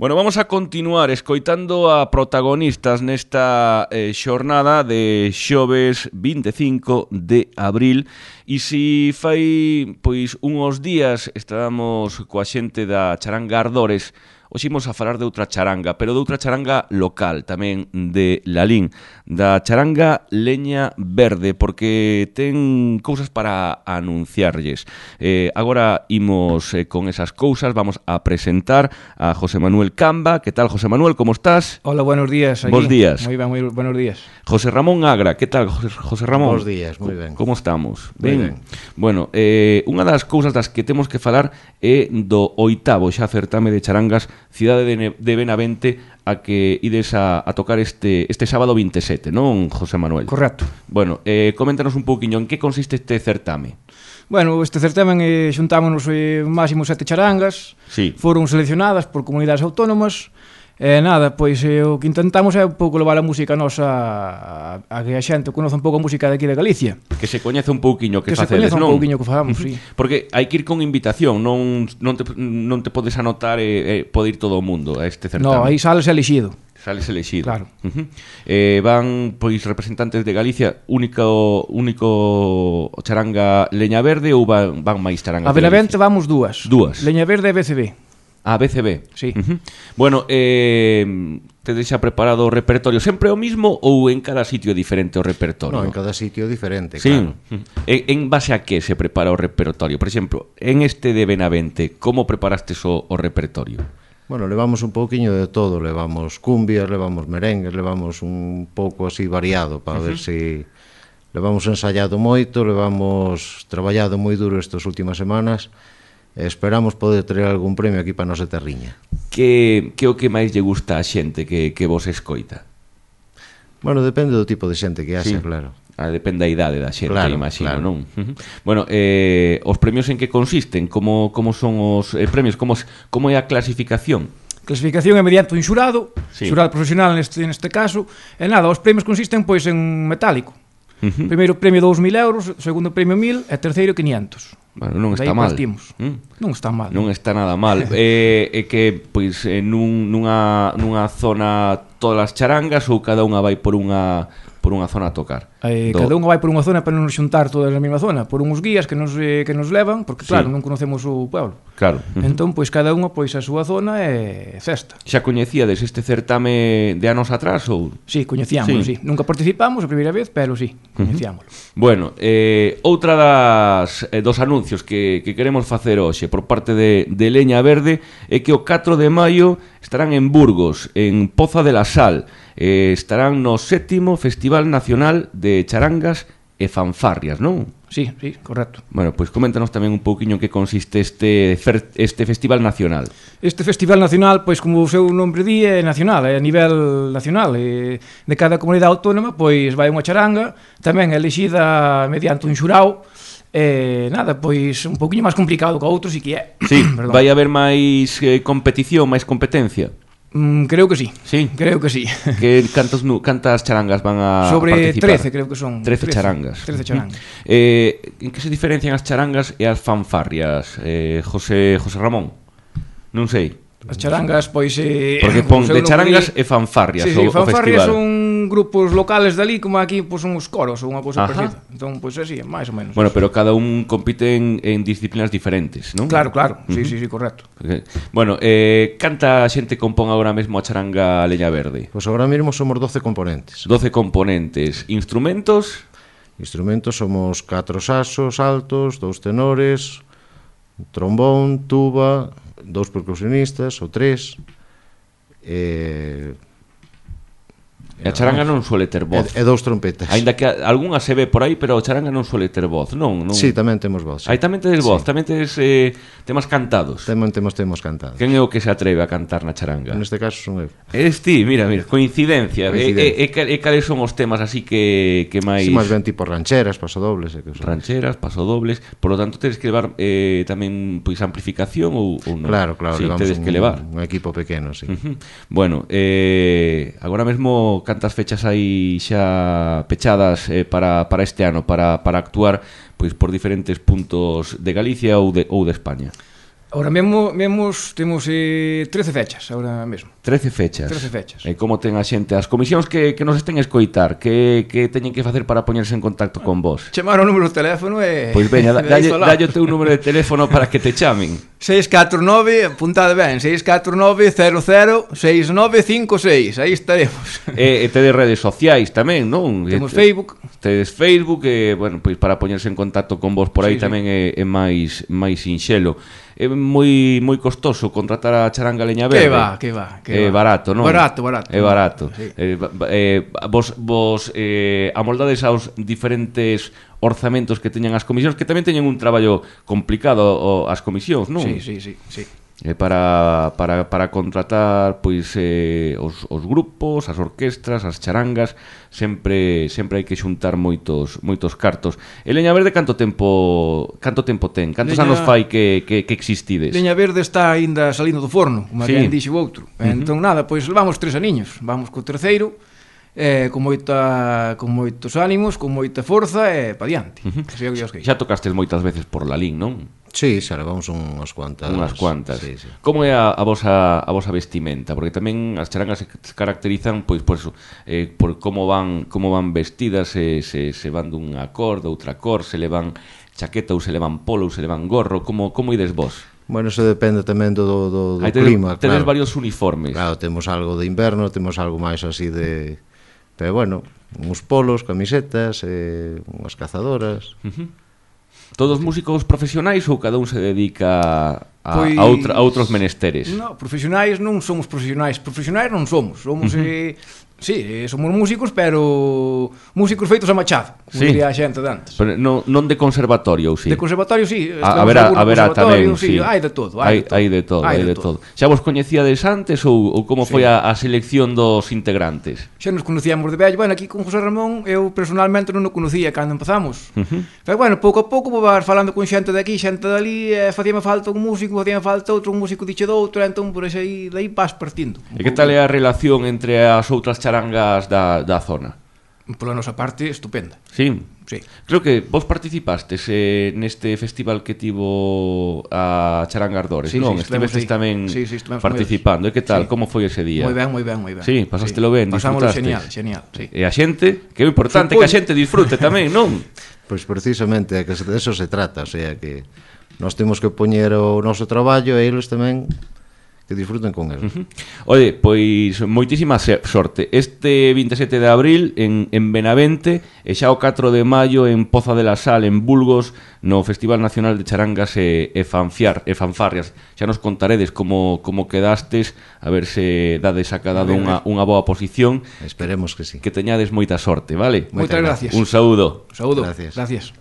Bueno, vamos a continuar escoitando a protagonistas nesta xornada de xoves 25 de abril. E se fai unhos días estábamos coa xente da charanga Ardores, hoxe imos a falar de outra charanga, pero de outra charanga local, tamén de Lalín, da charanga Leña Verde, porque ten cousas para anunciarlles. Agora imos con esas cousas, vamos a presentar a José Manuel Camba. Que tal, José Manuel, como estás? Hola, buenos días. Aquí. Bos días. Moi ben, moi buenos días. José Ramón Agra, que tal, José Ramón? Bos días, moi ben. Como estamos? Ben. Bueno, unha das cousas das que temos que falar é do 8º xa certame de charangas Cidade de Benavente, a que ides a tocar este sábado 27, non, José Manuel? Correcto. Bueno, coméntanos un pouquiño en que consiste este certame. Bueno, este certamen xuntámonos máximo 7 charangas. Sí. Foron seleccionadas por comunidades autónomas. Nada, pois o que intentamos é un pouco levar a música nosa a que a xente conoce un pouco a música de aquí de Galicia. Que se coñece un pouquiño que facedes, non? Que se coñece un pouquiño que facamos, sí. Porque hai que ir con invitación, non te podes anotar e pode ir todo o mundo a este certame. No, aí sales elixido. Sales elegido. Claro. Van representantes de Galicia, único charanga Leña Verde, ou van máis charangas? A Benavente vamos dúas. Leña Verde e BCB. A BCB. Sí. Bueno, tedes xa preparado o repertorio sempre o mismo ou en cada sitio diferente o repertorio? No, en cada sitio diferente, sí. Claro. En base a que se prepara o repertorio? Por exemplo, en este de Benavente, como preparastes o repertorio? Bueno, levamos un pouquiño de todo, levamos cumbias, levamos merengues, levamos un pouco así variado para ver se levamos ensayado moito, levamos traballado moi duro estas últimas semanas. Esperamos poder traer algún premio aquí para a nosa terriña. Que o que máis lle gusta a xente que vos escoita? Bueno, depende do tipo de xente que haxa, sí. Claro. Depende da idade da xente, claro, imagino, claro. Non? Bueno, os premios en que consisten? Como son os premios? Como é a clasificación? Clasificación é mediante un xurado, sí. Xurado profesional neste caso. E nada, os premios consisten pois en metálico. Primeiro premio 2.000 euros, segundo premio 1.000 e terceiro 500. Bueno, non está mal. Non está mal. Non está nada mal. É que, pois, nunha zona todas as charangas ou cada unha vai por unha zona a tocar? Cada unha vai por unha zona para non xuntar todas na mesma zona, por uns guías que nos levan, porque claro, non conocemos o pueblo. Claro. Entón, pois cada unha pois a súa zona é festa. Xa coñecíades este certame de anos atrás ou? Sí, coñecíamos, sí. Nunca participamos a primeira vez, pero sí, coñecíamolo. Bueno, outra dos anuncios que queremos facer hoxe por parte de Leña Verde é que o 4 de maio estarán en Burgos, en Poza de la Sal. Estarán no 7º Festival Nacional de Charangas e Fanfarrias, non? Sí, correcto. Bueno, pois coméntanos tamén un pouquiño en que consiste este Festival Nacional. Este Festival Nacional, pois como o seu nombre di, é nacional, é a nivel nacional. De cada comunidade autónoma, pois vai unha charanga, tamén é elixida mediante un xurao. Nada, pois un pouquiño máis complicado que outros, e que é. Sí, vai haber máis competición, máis competencia. Creo que sí. Sí. Creo que sí. Que cantas charangas van a participar? Sobre 13, creo que son. 13 charangas. 13 charangas. En que se diferencian as charangas e as fanfarrias, José Ramón? Non sei. As charangas, pois... Porque pon de charangas e fanfarrias, sí, o festival. Fanfarrias son grupos locales dali, como aquí pois son os coros ou unha cousa parecida. Entón, pois así, máis ou menos. Bueno, pero cada un compite en disciplinas diferentes, non? Claro. Sí, correcto. Bueno, canta xente compón agora mesmo a charanga Leña Verde? Pois agora mesmo somos 12 componentes. 12 componentes. Instrumentos? Instrumentos somos 4 saxos altos, 2 tenores, trombón, tuba, 2 percusionistas ou 3. E a charanga non suele ter voz. E 2 trompetas. Ainda que algunha se ve por aí, pero a charanga non suele ter voz, non? Sí, tamén temos voz. Aí tamén tedes voz, tamén tedes temas cantados. Temos cantados. Quen é o que se atreve a cantar na charanga? Neste caso son eu. Eres ti, mira, coincidencia. E cales son os temas así que máis... Sí, máis ben tipo rancheras, pasodobles. Rancheras, pasodobles. Por lo tanto, tedes que levar tamén pois amplificación ou non? Claro, sí, levamos tedes que levar un equipo pequeno, sí. Bueno, agora mesmo cantas fechas aí xa pechadas para este ano para actuar pois por diferentes puntos de Galicia ou de España? Ahora mesmo temos 13 fechas, ahora mesmo. 13 fechas. 13 fechas. E como ten a xente? As comisións que nos estén a escoitar, que teñen que facer para poñerse en contacto con vos? Chamar o número de teléfono e... Pois veña, dalle o teu número de teléfono para que te chamen. 649, apuntade ben, 649-00-6956. Aí estaremos. E tedes redes sociais tamén, non? Temos Facebook. Tedes Facebook, bueno, pois para poñerse en contacto con vos por aí tamén é máis sinxelo. É moi costoso contratar a Charanga Leña Verde. Que va. É barato, non? Barato. É barato. Sí. Vos amoldades aos diferentes orzamentos que teñan as comisións, que tamén teñen un traballo complicado as comisións, non? Sí. Para contratar pois os grupos, as orquestras, as charangas, sempre hai que xuntar moitos cartos. E Leña Verde canto tempo ten? Cantos anos fai que existides? Leña Verde está aínda salindo do forno, como alguén dixo o outro. Entón nada, pois levamos 3 aniños, vamos co terceiro. Con moitos ánimos, con moita forza e pa diante. Xa tocastes moitas veces por Lalín, non? Sí, xa levamos unhas cuantas. Sí. Como é a vosa vestimenta? Porque tamén as charangas se caracterizan pois por eso, por como van vestidas, se van dunha cor, doutra cor, se levan chaqueta ou se levan polo ou se levan gorro, como ides vos? Bueno, eso depende tamén do clima. Tedes varios uniformes. Claro, temos algo de inverno, temos algo máis así de... Pero bueno, uns polos, camisetas, unhas cazadoras... Todos músicos profesionais ou cada un se dedica a outros menesteres? No, profesionais non somos profesionais non somos. Somos somos músicos, pero músicos feitos a machado, como diría a xente de antes. Pero non de conservatorio, ou si? De conservatorio, si. Haberá tamén, si. Hai de todo. Xa vos coñecíades antes ou como foi a selección dos integrantes? Xa nos conocíamos de vello. Bueno, aquí con José Ramón, eu personalmente non o conocía cando empezamos. Pero bueno, pouco a pouco vou falando con xente de aquí, xente de ali, facíame falta un músico, facíame falta outro, un músico dixe do outro, entón por aí vas partindo. E que tal é a relación entre as outras charangas da zona? Pola nosa parte, estupenda. Sí? Sí. Creo que vos participastes neste festival que tivo a Charanga Ardores, non? Estivestes tamén participando. E que tal? Como foi ese día? Moi ben. Sí, pasástelo ben, disfrutastes. Genial, sí. E a xente, que é importante que a xente disfrute tamén, non? Pois precisamente, que de eso se trata, o sea, que nós temos que poñer o noso traballo e eles tamén que disfruten con él. Oye, pois moitísima sorte. Este 27 de abril en Benavente e xa o 4 de maio en Poza de la Sal, en Bulgos, no Festival Nacional de Charangas e Fanfarrias. Xa nos contaredes como quedastes, a ver se dades a cada unha boa posición. Esperemos que sí. Que teñades moita sorte, vale? Moitas gracias. Un saúdo. Gracias.